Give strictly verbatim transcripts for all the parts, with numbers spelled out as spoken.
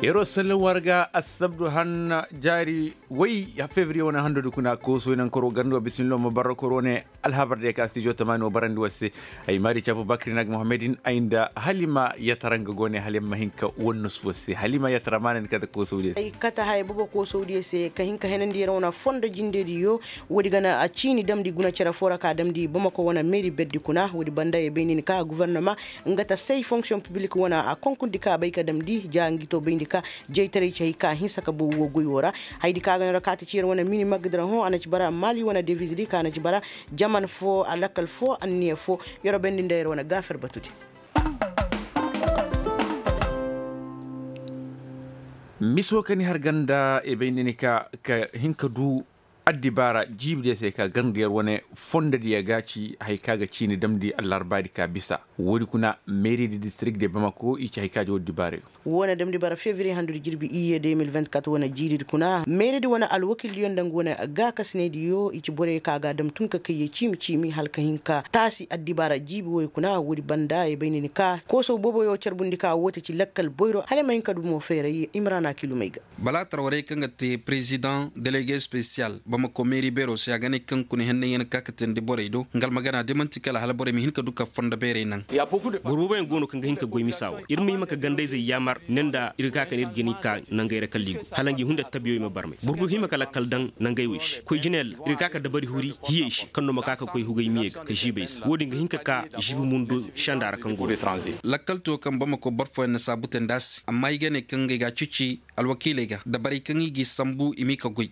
Yeroo sallan war ga assabdu hanna jaari way fevriye wane handudi kuna koosoy nankoro garndi wa bisimillo ma barra koro ne. Alhabar diya ka stijo tamaani wa barandi war se. Ay maari cabu bakri nag muhammadin ay nda halima yatara nga go ne halima hinka wannu sufo se halima yatara maanani kate koosow diya se. Ay kate haya bobo koosow diya se ka hinka henandi yer wane fondo jinde diyo. Woodi gana a ciini damndi guna cere fo ra ka damndi bamako wane meeri berdi kuna woodi banda ye bay nin ka gofornoma nga ta say fonksiyoŋ piblik wane a konkurdi ka bay ka damndi ja ngi to bayndi ka jaytaray ci hay ka hinsa ka bow wo goy wo ra. Haydi ka ga no ra ka ti ci yer wane mini magdira hõ a na ci bara maali wane deviz di ka na ci bara jaman fo a lakkal fo anniya fo. Yer wo bayndi nda yer wane gaafer batu di. Miso ka ni har ganda e bay ni ka ka hin ka du addibaara jiibi diya se ka ganda yer wane fondo diya ga ci hay ka ga ciini damndi allarbaadi ka bisa. Woodi kuna meeri di distirik de bamako i ci hay ka ja woodi dibaara. Wo na damndi bara fevriye handudi jirbi iyye de mil vingt-quatre wane jiiri di kuna meeri di wane alwakil diyo nda nga wane gaakasinay diyo i ci borey ka ga a dam tun ka kayye ciimi ciimi hala ka hin ka taasi addibaara jiibi woy kuna woodi banda ay bay ni ka koosow booboyo carbundi ka woo te ci lakkal boyro hala ay ma hin ka du mo feeray imrana kilumey ga. Bala tarwarey kaŋ ga te president delege spesiyal bamako meeri beero se a ga ne kaŋ kuna henney yaŋ ka katandi borey do nga almagana da manti kala hala borey ma hin ka du ka fondo beerey naŋ. Boro booboyaŋ go no kaŋ ga hin ka goy misa wo ir ma hima ka gandayzey yaamar ne nda ir ga ka ka ne ir ga ni ka nangey ra kala i go hala ngi hunda tabiyoy ma barmay boro go hima ka lakkal daŋ nangey wey se koy jinayal ra ir ga ka ka dabari huri hiyey se kaŋ no ma ka ka koy hugay miyey ga ka ziibay se wo-din ga hin ka ka ziibi mundo senda ra kaŋ go no. Lakkal to kaŋ bamako boro fooyaŋ na saabu te nda a se amma i ga ne kaŋ ngey ga a cici alwakiiley ga dabarey kaŋ i g'i sambu i m'i ka goy.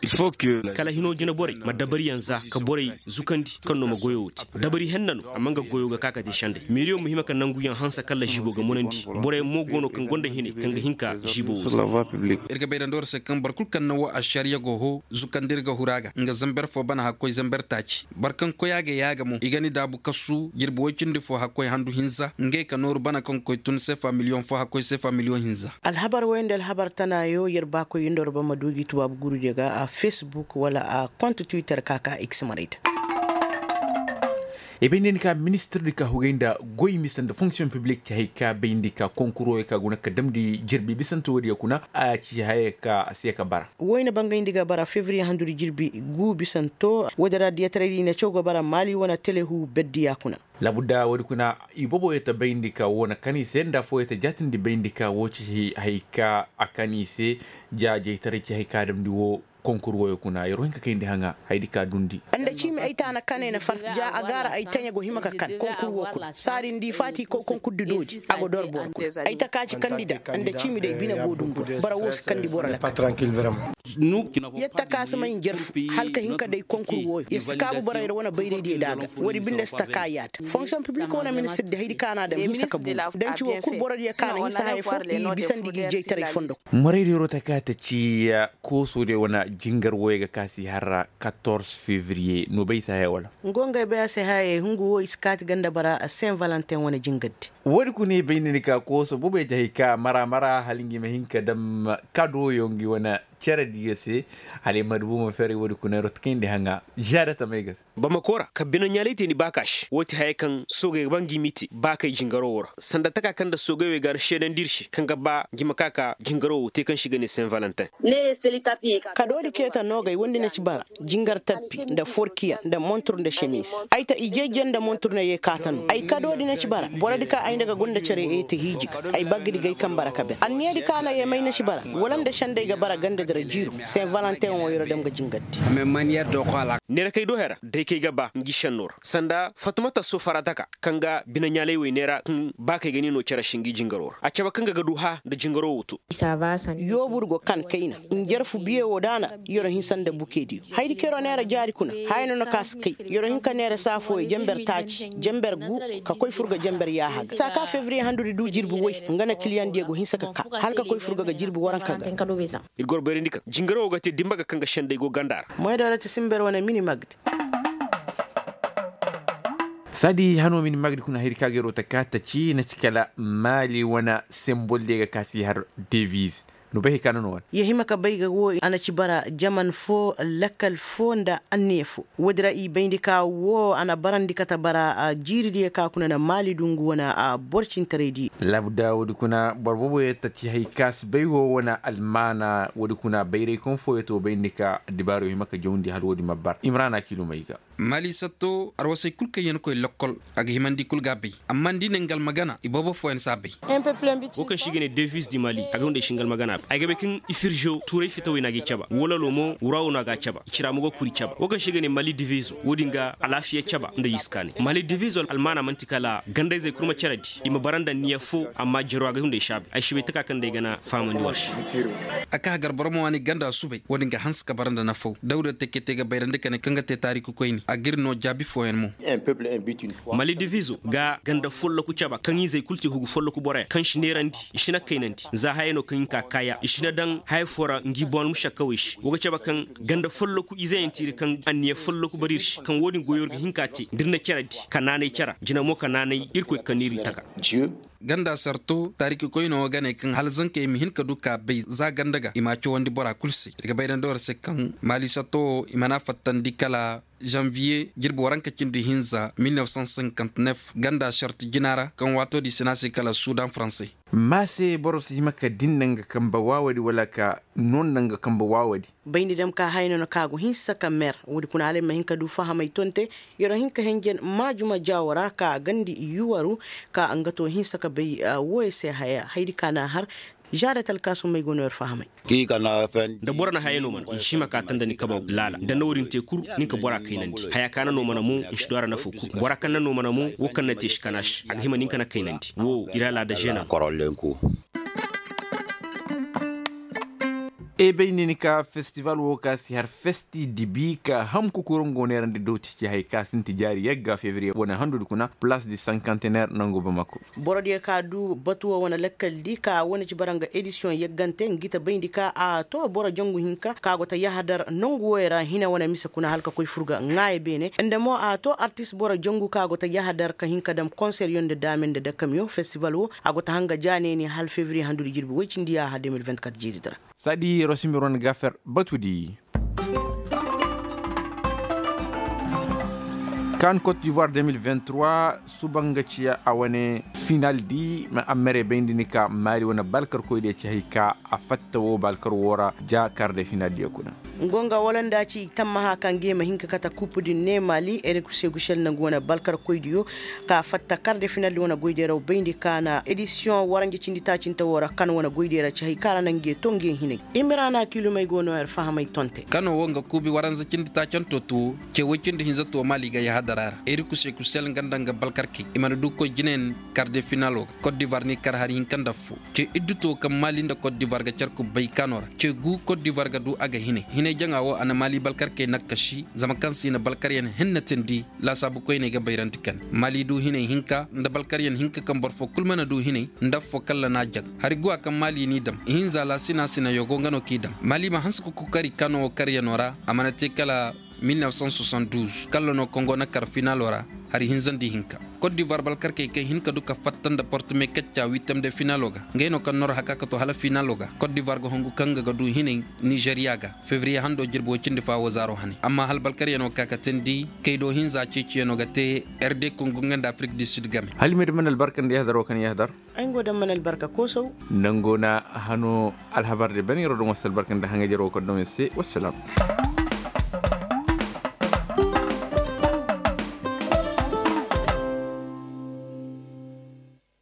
Kala hino jinaborey ma dabariyaŋ za ka borey zukandi kaŋ no ma goyo wo te dabari henna no amma nga goyo ga ka ka te sendey meeriyo ma hima ka nanguyaŋ hanse kala ziibo ga munandi boroyaŋ mo go no kaŋ gonda hinay kaŋ ga hin ka ziibo wo te. Ir ga bay dandi war se kaŋ boro kul kaŋ na woo ašariya go hoo zukandi ir ga huru a ga nga zamber foo bana hakkoy zamber taaci boro kaŋ koy a ga yaaga mo i ga ni daabu kasu jirbi woy cindi foo hakkoy handu hinza ngey ka nooru bana kaŋ koy tun seefa miliyoŋ foo hakkoy seefa miliyoŋ hinza. Alhabar woy nda alhabar tanaayo yer baakoy nda war ba ma du gi tubaabu gurudiyo ga a facebook wala a kont twitter ka ka x maray da. I bay nda ni ka ministir di ka hugay nda goy misa nda fonksiyoŋ piblik ci hay ka bay nda i ka konkur woyo ka guna ka damndi jirbi bisante woodiyo kuna a ci haya ka a si ya ka bara. Woy na bangayndi ga bara fevriye handudi jirbi gu bisanto woodi ra diyataray di na caw ga bara maali wane telehu berdiya kuna. Labudda woodi kuna i bobo yee ta bayndi ka woo na kan i se nda affoo yee ta jaatindi bayndi ka woo ci hay ka a kan i se. Jaajaytaray ci hay ka a damndi woo konkur woyo kuna yeroo hin ka kayndi haŋa haydi ka dundi. Nda ciimi ay taana kanay na far ja a gaara ay taɲa go hima ka kan konkur woo kuna saadi nda i faati koy konkurdi doodi a go dor boro kuna. Ay taka ci kandi da nda ciimi day bine go dumbu ra bara woo si kandi boro lakkal. Yetta ka si may njarfu hala ka hin ka day konkur wooyo ya si kaabu borey ra wane bayraydiyo da a ga woodi binde si taka yaada fonksiyoŋ piblik wane ministir di haydi ka na a dam hinsa ka buru danci woo kul borodiyo ka na hinsa haya fo i bisandi gi jaytaray fondo. Moraydiyo rota ka ta ci koosodiyo wane jingar wooyo ga ka si har katorze fevriye no bay si haya wala? Ngo ngey bay a se hayey hungu woo i si kaati ganda bara sen valentin wane jingar di. Woodi kuna i bay ni ni ka kooso boboy te hay ka mara mara hala ngi ma hin ka dam kadoyo ngi wane cere diyo se. Hala i ma dubu ma feeray woodi kuna rota kayndi haŋa. Ziyaada tamay ga se. Bamako ra ka binaɲaalay te ni baakaš woo ti haya kaŋ soogey ga ba ngi m'i te baakey jingaro woo ra sanda taka kaŋ nda soogey wey ga a seedandi ir se kaŋ ga ba ngi ma ka ka jingaro woo te kaŋ se i ga ne sen valentin. Ka doodi keta noogey wondi na ci bara jingar tappi nda forkiya nda montur nda semiz. Ay ta ijejje nda montur na yee kaata no ay ka doodi na ci bara borodi ka ay nda ga gonda care yee ta hiiji ga ay baggidi gay kaŋ bara ka ben anniyadi ka na yee may na ci bara wala nda sendey ga bara ganda dira jiiru sen valentin woo yer dam ga jingar di. Neera kay do hera day kay ga ba ngi senno ra sanda fatumata sofarata ka kaŋ ga binaɲaalay wey neera kaŋ ba kay ga ni no care se ngi jingaro ra a cabe kaŋ ga ga du hã nda jingaro wo to. Yoobur go kan kayna njarfu biye wo da a na yer hinsa nda bukediyo haydi kaŋ yer neera jaari kuna haya no na ka si kay yer hin ka neera saa fooyo jamber taaci jamber gu ka koy fur ga jamber yaaha ga saa ka fevriye handudi du jirbi woy nga na kiliyaŋ diyo go hinsa ka ka hala ka koy fur ga ga jirbi waranka ga. Ir goro bayrandi kaŋ jingaro wo ga te dimba ga kaŋ ga sendey go ganda ra. Moydoora ti simber wane mini magdi. Saadi hano mini magdi kuna hayri ka ga yer wo ta ka ta ci na ci kala maali wane sembol diyo ga ka si har deviz. Bay hay ka na no wane. Ya hima ka bay ga wo a na ci bara jaman fo, lakkal fo nda anniya fo. Woodi ra i bayndi ka wo a na barandi kate bara jiiridiyo ka kuna na maali dungu wane. Boro cintaraydi. Labda woodi kuna boro booboyo ta ci hay ka si bay wo wane almaana woodi kuna bayray kaŋ fooyo to bayndi ka addibaariyo hima ka jawndi hala woodi ma bara imraana kiilumay ga. Maali satto arwasey kul kaŋ yaŋ koy lokkol, a ga himandi kul ga a bay. Amma nda i ne nga almagana iboobo fooyaŋ si a bay. Wo kaŋ se i ga ne devis di mali a ga hunday si nga almagana bay ay ga bay kaŋ i firzo tuuray fitawey no a ga i caba wololo mo wurawo no a ga a caba i cira mo ga kuri caba wo kaŋ se i ga ne mali divizo wo- din ga alaafiya caba nda yiskaanay mali divizo almaana man'ti kala gandayzey kul ma care di i ma bara nda niya fo. Amma jaro a ga hunday si a bay ay si bay taka kaŋ day gana fahamandi war se. A ka hagar boro ma waani ganda subay wo- din ga hanse ka bara nda nafaw dawda teke te ga bayrandi ka ne kaŋ ga te taariku koyni a ga ir no jaabi fooyaŋ mo. Mali divizo ga ganda folloku caba kaŋ izey kulu te hugu folloku boroyaŋ kaŋ si neerandi i si na kaynandi za haya no kaŋ i ka kaaya i si na daŋ haya fo ra ngi boŋ musakkawey se wo ga caba kaŋ ganda folloku izeyaŋ tiiri kaŋ anniya folloku bari ir se kaŋ wo- din goyo ir ga hin ka te da ir na care di ka naanay cara jina mo ka naanay irkoy ka niiri taka. Ganda sarto taarikikoyno ga ne kaŋ hala zankey ma hin ka du ka bay za ganda ga i m'a cawandi bora kulu se ir ga bayrandi war se kaŋ maali sarto wo i mana fattandi kala zanviye jirbi waranka cindi hinza mil nef san sinkanti nef ganda sarto jina ra kaŋ waato di sina se kala sudan faranse. Maase boro si hima ka din nda nga kambe waawadi wala ka no nda nga kambe waawadi. Bayndi dam ka haya no na ka go hinsa ka mer woodi kuna hala ay ma hin ka du fahamay tonte. Yero hin ka henjen maajuma jaawo ra ka gandi yuwaru ka nga to hinsa ka bay. Wooyo se haya haydi ka na a har. Žaadat alkaasumey go no yer fahamay. Nda boro na haya no mana i si hima ka tanda ni kaba laala nda na woodin te kul. Nin ka bora kaynandi haya ka na no mana mo ni si du a ra nafo kul bora kaŋ na no mana mo wo kaŋ na te si kana se a ga hima nin ka na kaynandi wo ir alaada žena. Ebay ne ni ka festival wo ka si har festi dibi ka ham kukuru ngo neerandi dooti ci hay ka sinti jaari yagga fevriye wane handudi kuna plas di sankantener nangu bamako. Borodiyo ka du batuwo wane lakkal di ka wane ci bara nga edisiyoŋ yaggante ngi ta bayndi ka a to boro jangu hinka ka go ta yahadar nangu woyo ra hina wane mise kuna hala ka koy furga ŋaaya beene nda mo a to artis boro jangu ka go ta yahadar ka hinka dam konseryo nda daame nda dakamiyo festival wo a go ta hanga ja neeni hala fevriye handudi jirbi woy cindi yaaha de mil vingt-quatre jeedidi ra. Saadi rosimir wane gafer batudi. Kan cote d'ivoire de mil vingt-trois suba nga ciya a wane final di ma a mere bayndi ni ka maali wane balkarkoy diya ci hay ka a fatta wo balkar wo ra ja kar de final diya kuna. Ngo nga wala nda ci tammaha kaŋ ga i ma hin ka kate kuup din ne maali erekusegusel nangu wane balkarkoy diyo ka fatta kar de final di wane goy deeraw bayndi ka na edisiyoŋ waranja cindi taacinte wo ra kan wane goy deera ci hay ka ra na nge to nge hinay. Imiraana kilumey go no yer fahamay tonte. Kano wo nga kuubi waranza cindi taacanto tuwo ce woy cindi hinza tuwo maali ga yahadara ra iri kuse kusel nga nda nga balkarkey i mana du koy jinayaŋ. Kar de finalo ga kot divar ni kar hari hinka nda affo ce iddu tuwo kaŋ maali nda kot divar ga care kubbay kano ra ce gu kot divar ga du a ga hinay hinay jaŋa wo a na maali balkarkey nakkasi zama kaŋ se i na balkaryaŋ henna tindi. Laasaabu koyney ga bayrandi kane maali du hinay hinka nda balkaryaŋ hinka kaŋ boro fo kul mana du hinay nda affo kalla n'a jaŋ hari guwa kaŋ maali n'i dam ihinza laasina sina yogo nga no k'i dam maali ma hanse ka kokari kano wo karyano ra a mana te kala mil nef san soixante-douze kalla no kongo na kar finalo ra. Hari hinzandi hinka kot divar balkarkey kaŋ hin ka du ka fatta nda portime kacca wittem de finalo ga ngey no kaŋ nor haka ka to hala finalo ga kot divar ga hongu kaŋ ga ga du hinay nizeriya ga. Fevriye hando jirbi way cindi fa wo zaaro hane amma hala balkaryano ka ka teendi kay do hinza ceeciyano ga te. Rd kongo nga nda afrik du sud game. Hala i ma di mana albarka nda yahdar wo kaŋ yahdar. Ay ngo daŋ mana albarka koosaw. Nango na hano alhabar de bane yaro daŋ wasa albarka nda haŋay jaro wo kaŋ daŋ se wassalam.